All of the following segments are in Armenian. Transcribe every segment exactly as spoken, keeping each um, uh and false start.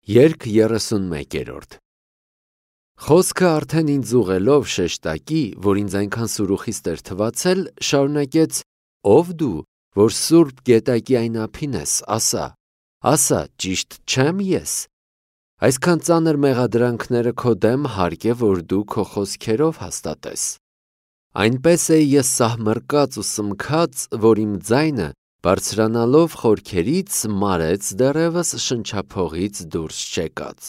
Երգ երեսունմեկերորդ Խոսքը արդեն ինձ ուղղելով շեշտակի, որ ինձ այնքան սուրուխիստ էր թվացել, շարունակեց. Ով դու, որ սուրբ գետակի այն ափին ես, ասա, ասա, ճիշտ չեմ ես։ Այսքան ծանր մեղադրանքները քո դեմ հարկ է, որ դու քո խոսքերով հաստատես։ Այնպես է ես սահմռկած ու սմքած, որ իմ ձայնը բարձրանալով խորքերից մարեց դեռևս շնչափողից դուրս չեկած։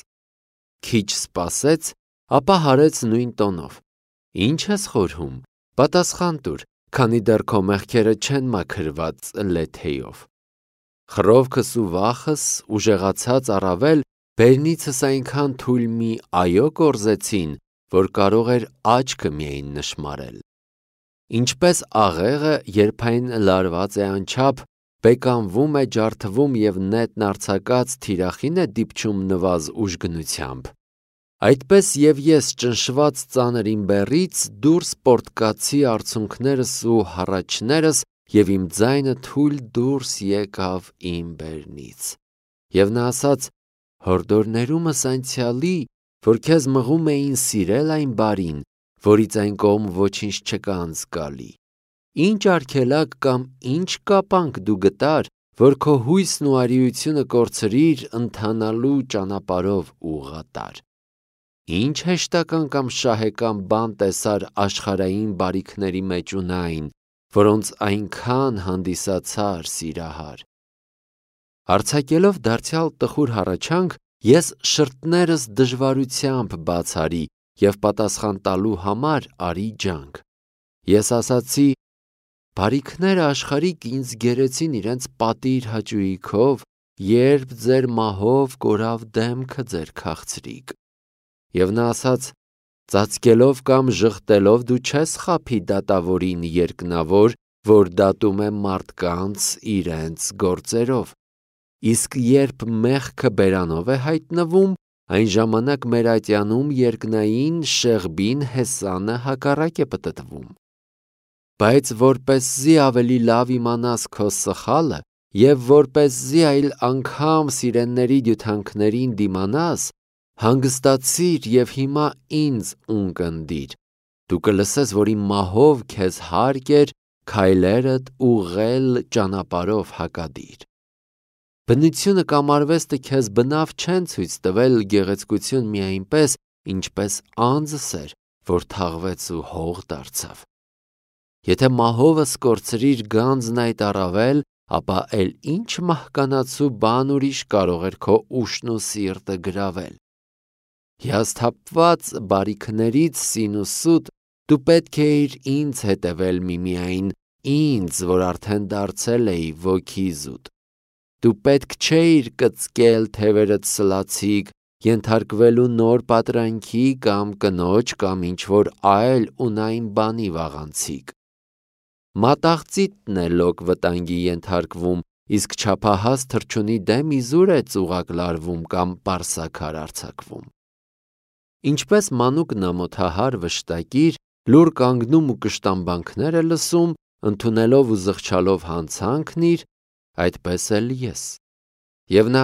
Քիչ սպասեց, ապա հարեց նույն տոնով. Ինչ ես խորհում, պատասխան տուր, քանի դեռ քո մեղքերը չեն մաքրված լեթեյով։ Խռովքս ու վախս ուժեղացած առավել բերնիցս այնքան թույլ մի այո կորզեցին, որ կարող էր աչքը միայն նշմարել։ Ինչպես աղեղը, երբ այն լարված է անչափ, բեկանվում է, ջարդվում և նետն արձակած թիրախին է դիպչում նվազ ուժգնությամբ, այդպես և ես ճնշված ծանր իմ բեռից դուրս պոռթկացի արցունքներս ու հառաչներս և իմ ձայնը թույլ դուրս եկավ իմ բերնից։ Եվ նա ասաց. հորդորներումս անցյալի, որ քեզ մղում էին սիրել այն բարին, որից այն կողմ ոչինչ չկա անզգալի։ Ինչ արգելակ կամ ինչ կապանք դու գտար, որ քո հույսն ու արիությունը կորցրիր ընթանալու ճանապարհով ուղղատար։ Ինչ հեշտական կամ շահեկան բան տեսար աշխարհային բարիքների մեջ ունայն, որոնց այնքան հանդիսացար սիրահար։ Արձակելով դարձյալ տխուր հառաչանք, ես շրթներս դժվարությամբ բաց արի և պատասխան տալու համար արի ջանք։ Ես ասացի. բարիքները աշխարհիկ ինձ գերեցին իրենց պատիր հաճույքով, երբ ձեր մահով կորավ դեմքը ձեր քաղցրիկ։ Եվ նա ասաց. ծածկելով կամ ժխտելով դու չես խաբի դատավորին երկնավոր, որ դատում է մարդկանց իրենց գործերով։ Իսկ երբ մեղքը բերանով է հայտնվում, այն ժամանակ մեր ատյանում երկնային Շեղբին հեսանը հակառակ է պտտվում։ Բայց որպեսզի ավելի լավ իմանաս քո սխալը և որպեսզի այլ անգամ սիրենների դյութանքներին դիմանաս, հանգստացիր և հիմա ինձ ունկնդիր։ Դու կլսես, որ իմ մահով քեզ հարկ էր քայլերդ ուղղել ճանապարհով հակադիր։ Բնությունը կամ արվեստը քեզ բնավ չեն ցույց տվել գեղեցկություն մի այնպես, ինչպես անձս էր, որ թաղվեց ու հող դարձավ։ Եթե մահովս կորցրիր գանձն այդ առավել, ապա էլ ինչ մահկանացու բան ուրիշ կարող էր քո ուշն ու սիրտը գրավել։ Հիասթափված բարիքներից սինուսուտ դու պետք էիր ինձ հետևել միմիայն, ինձ, որ արդեն դարձել էի ոգի զուտ։ Դու պետք չէիր կծկել թևերդ սլացիկ, ենթարկվելու նոր պատրանքի կամ կնոջ կամ ինչ-որ այլ ունայն բանի վաղանցիկ։ Մատաղծիթն է լոկ վտանգի ենթարկվում, իսկ չափահաս թռչունի դեմ իզուր է ծուղակ լարվում կամ պարսաքար արձակվում։ Ինչպես մանուկն ամոթահար վշտակիր, լուռ կանգնում ու կշտամբանքներ է լսում, ընդունելով ու զղջալով հանցանքն իր, այդպես էլ ես։ Եվ նա,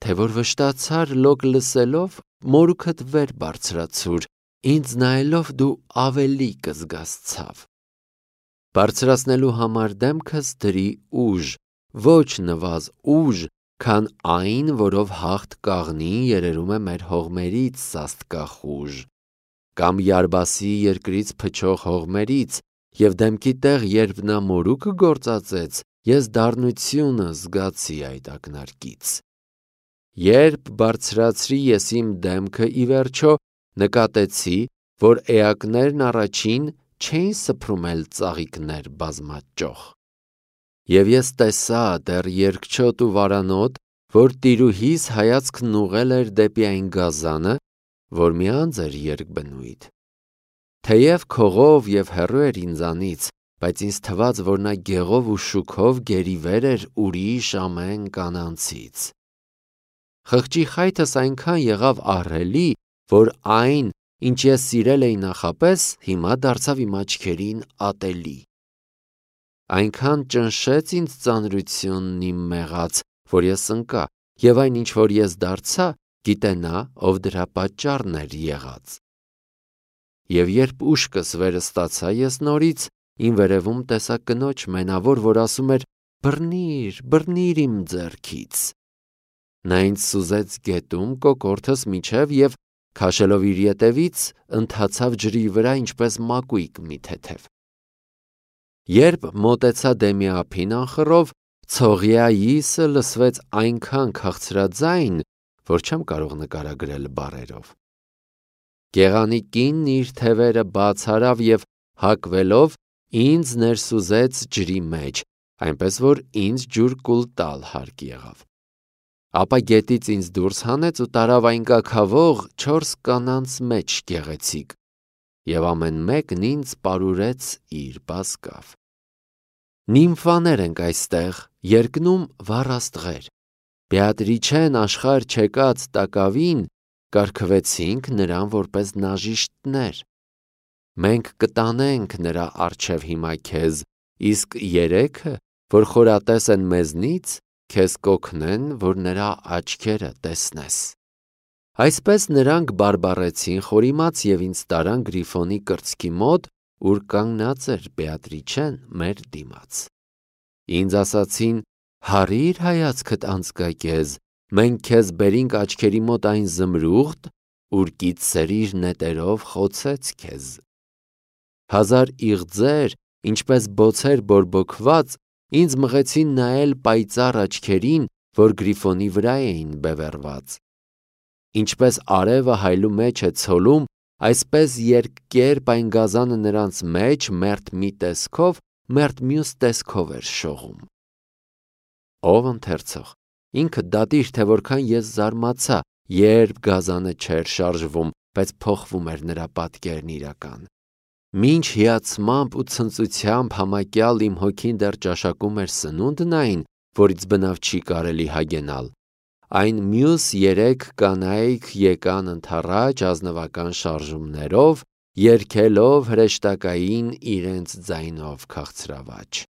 թե որ վշտացար լոկ լսելով, մորուքդ վեր բարձրացուր, ինձ նայելով դու ավելի կզգաս ցավ։ Բարձրացնելու համար դեմքս դրի ուժ, ոչ նվազ ուժ, քան այն, որով հաղթ կաղնին երերում է մեր հողմերից սաստկախ ուժ, կամ Յարբասի երկրից փչող հողմերից, և դեմքի տեղ, երբ նա մորուքը գործածեց, ես դառնությունը զգացի այդ ակնարկից։ Երբ բարձրացրի ես իմ դեմքը, ի վերջո նկատեցի, որ էակներն առաջին չէին սփռում էլ ծաղիկներ բազմաճոխ։ Եվ ես տեսա դեռ երկչոտ ու վարանոտ, որ տիրուհիս հայացքն ուղղել էր դեպի այն գազանը, որ մի անձ էր երկբնույթ։ Թեև քողով և հեռու էր ինձանից, բայց ինձ թվաց, որ նա գեղով ու շուքով գերիվեր էր ուրիշ ամեն կանանցից։ Խղճի խայթս այնքան եղավ ահռելի, որ այն, ինչ ես սիրել էի նախապես, հիմա դարձավ իմ աչքերին ատելի։ Այնքան ճնշեց ինձ ծանրությունն իմ մեղած, որ ես ընկա, և այն, ինչ որ ես դարձա, գիտենա, ով դրա պատճառն էր եղած։ Եվ երբ ուշքս վերը ստացա, ես նորից իմ վերևում տեսա կնոջ մենավոր, որ ասում էր. «Բռնիր, բռնիր իմ ձեռքից»։ Նա ինձ սուզեց գետում կոկորդս միջև և քաշելով իր ետևից ընթացավ ջրի վրա ինչպես մակույկ մի թեթև։ Երբ մոտեցա դեմի ափին անխռով, ցողյայիսը լսվեց այնքան քաղցրաձայն, որ չեմ կարող նկարագրել բառերով։ Գեղանի կինն իր թևերը բաց արավ և հակվելով ինձ ներսուզեց ջրի մեջ, այնպես որ ինձ ջուր կուլ տալ հարկ եղավ։ Ապա գետից ինձ դուրս հանեց ու տարավ այն կաքավող չորս կանանց մեջ գեղեցիկ, և ամեն մեկն ինձ պարուրեց իր բազկավ։ Նիմֆաներ ենք այստեղ, երկնում վառ աստղեր։ Բեատրիչեն աշխարհ չեկած տակավին կարգվեցինք նրան որպես նաժիշտներ։ Մենք կտանենք նրա առջև հիմա քեզ, իսկ երեքը, որ խորատես են մեզնից, քեզ կօգնեն, որ նրա աչքերը տեսնես։ Այսպես նրանք բարբառեցին խորիմաց և ինձ տարան Գրիֆոնի կրծքի մոտ, ուր կանգնած էր Բեատրիչեն մեր դիմաց։ Ինձ ասացին. «Հառի՛ր հայացքդ անձկակեզ, մենք քեզ բերինք աչքերի մոտ այն զմրուղտ, ուր կիցսերիր նետերով խոցեց քեզ»։ Հազար իղձեր, ինչպես բոցեր բորբոքված, ինձ մղեցին նայել պայծառ աչքերին, որ Գրիֆոնի վրա էին բևեռված։ Ինչպես արևը հայլու մեջ է ցոլում, այսպես երկկերպ այն գազանը նրանց մեջ մերթ մի տեսքով, մերթ մյուս տեսքով էր շողում։ Ով ընթերցող, ինքը դատիր, թե որքան ես զարմացա, երբ գազանը չէր շարժվում, բայց փոխվում էր նրա պատկերն իրական։ Մինչ հիացմամբ ու ցնծությամբ համակյալ իմ հոգին դեռ ճաշակում էր սնունդն այն, որից բնավ չի կարելի հագենալ, այն մյուս երեք կանայք եկան ընդառաջ ազնվական շարժումներով, երգելով հրեշտակային իրենց ձայնով քաղցրավաճ։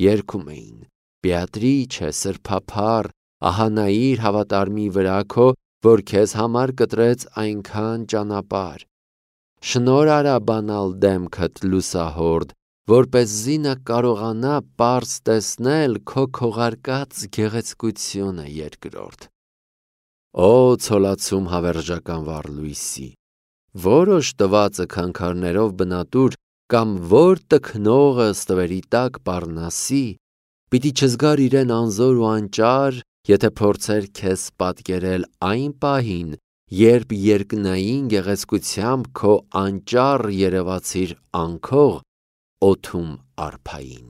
Երգում էին. «Բեատրիչե, սրբափառ, ահա նայիր հավատարմի վրա քո, որ քեզ համար կտրեց այնքան ճանապարհ։ Շնորհ արա բանալ դեմքդ լուսահորդ, որպեսզի նա կարողանա պարզ տեսնել քո քողարկած գեղեցկությունը երկրորդ»։ Օ ցոլացում հավերժական վառ լույսի, որոշ տվածը քանքարներով բնատուր, կամ որ տքնողը ստվերի տակ պառնասի, պիտի չզգար իրեն անզոր ու անճար, եթե փորձեր քեզ պատկերել այն պահին, երբ երկնային գեղեցկությամբ քո անճառ երևացիր անքող օդում արփային։